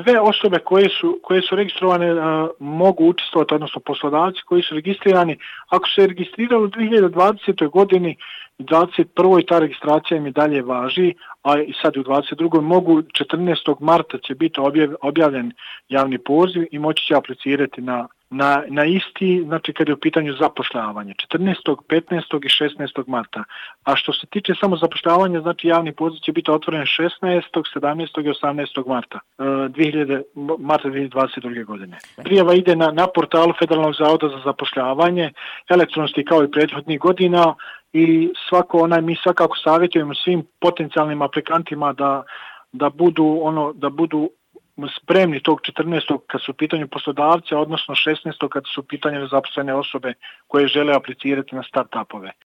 sve osobe koje su registrovane mogu učestvovati, odnosno poslodavci koji su registrirani. Ako se registrirali u 2020. godini i 2021. ta registracija im i dalje važi, a i sad u 2022. mogu 14. marta će biti objavljen javni poziv i moći će aplicirati na isti, znači kad je u pitanju zapošljavanje, 14., 15. i 16. marta. A što se tiče samo zapošljavanja, znači javni poziv će biti otvoren 16., 17. i 18. marta 2022. godine. Prijava ide na portalu Federalnog zavoda za zapošljavanje, elektronski kao i prethodnih godina, i mi svakako savjetujemo svim potencijalnim aplikantima da budu spremni tog 14. kad su u pitanju poslodavca, odnosno 16. kad su u pitanju zaposlene osobe koje žele aplicirati na start-upove.